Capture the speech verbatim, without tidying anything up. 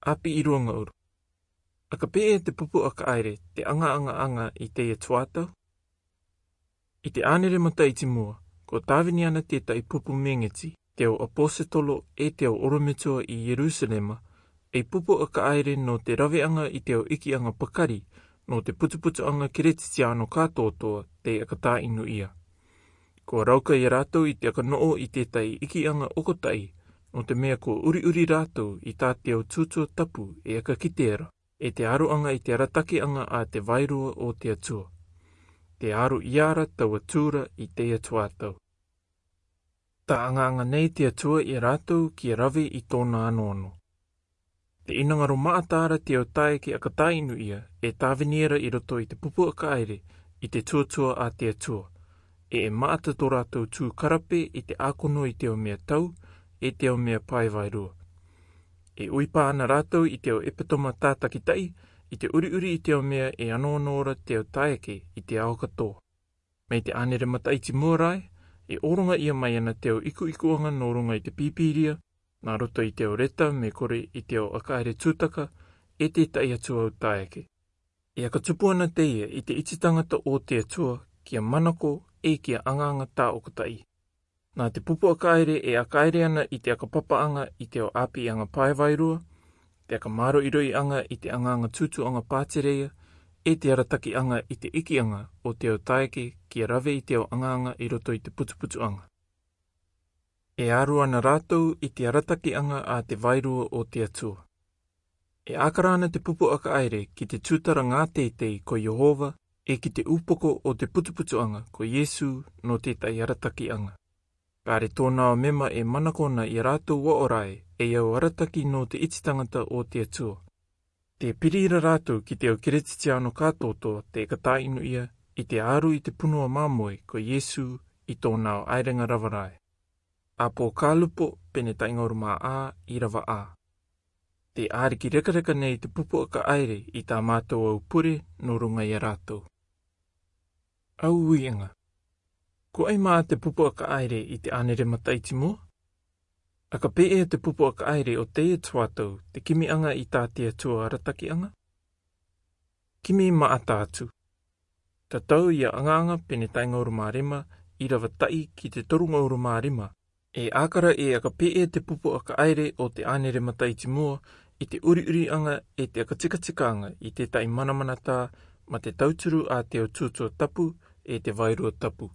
ʻĀpī ʻi ruangaʻuru. ʻA ka pē ʻe te pupu ʻa ka ʻaere te ʻangaʻangaʻanga i teie tuatau? ʻI te ʻānere mataʻiti mua, ko tāvini ana tētahi pupu mēngeti, te au ʻaposetolo ʻe te au ʻorometua ʻi Ierusalema, ei pupu ʻa ka ʻaere nō te raveʻanga i te au ʻikiʻanga pakari, nō te putuputuʻanga Keretitiano kātoatoa te ʻakatāʻinu ia. Kua rauka ia rātou i te ʻakanoʻo i tētahi ʻikiʻanga ʻokotaʻi, nō te mea kua ʻuriʻuri rātou i tā te au tūtua tapu e ʻaka kite ra, e te aroʻanga i te aratakiʻanga a te vairua o te Atua. Te aro ia ra taua tura i teie tuatau. Tā ʻangaʻanga nei te Atua ia rātou kia rave i tōna anoano. Te ʻinanga ro maʻata ra te au taeake ʻakatāʻinu ia, e tāvini ra i roto i te pupu ʻa ka ʻaere, i te tuatua a te Atua. E e maʻata tō rātou tū karape i te ʻākono i te au mea tau, e te au mea pae vairua. E ʻuipā ana rātou i te au ʻepetoma tātakitaʻi, i te ʻuriʻuri i te au mea e anoano ra te au taeake i te ao katoa. Mai te ʻānere mataʻiti mua rā ē, e ʻōroŋa ia mai ana te au ikuikuʻanga nō ruŋa i te Pīpīria, nā roto i te au reta me kore i te au ʻa ka ʻaere tūtaka, e tētahi atu au taeake. E ʻaka tupu ana teie i te iti tangata o te Atua, kia manako, e kia ʻangaʻanga tāʻokotaʻi. Nā te pupu ʻa ka ʻaere e ʻaka ʻaere ana i te ʻaka papaʻanga i te au ʻāpīʻanga pae vairua, te ʻaka māroʻiroʻiʻanga i te ʻangaʻanga tūtuaʻanga pātereia, e te aratakiʻanga i te ʻikiʻanga o te au taeake kia rave i te au ʻangaʻanga i roto i te putuputuʻanga. E aro ana rātou i te aratakiʻanga a te vairua o te Atua. E ʻakara ana te pupu ʻa ka ʻaere ki te tūtara ngā teitei ko Iehova, e ki te upoko o te putuputuʻanga ko Iesu nō tētahi aratakiʻanga. Kāre tōna ao mema e manako na ia rātou aʻo ra ē, e au arataki nō te iti tangata o te Atua. Te piri ra rātou ki te au Keretitiano kātoatoa te ʻakatāʻinu ia, i te aro i te punua māmoe ko Iesu i tōna ao ʻaerenga rava ra ē. ʻĀpōkālupo, pene taʻi ngauru mā ʻā, ʻīrava ʻā. Te ʻĀriki rekareka nei te pupu ʻa ka ʻaere i tā mātou au pure nō ruŋa ia rātou. Au uiʻanga. Ko ai mā te pupu ʻa ka ʻaere i te ʻānere mataʻiti mua? ʻA ka pē ʻe te pupu ʻa ka ʻaere o teie tuatau te kimiʻanga i tā te Atua aratakiʻanga? Kimi maʻata atu. Tatau ia ʻAngaʻanga, pene taʻi ngauru mā rima, ʻīrava taʻi ki te toru ngauru mā rima. E ʻakara ē ʻa ka pē ʻe te pupu ʻa ka ʻaere o te ʻānere mataʻiti mua, i te ʻuriʻuriʻanga e te ʻaka tikatikaʻanga i tētahi manamanatā, mā te tauturu a te au tūtua tapu, e te vairua tapu.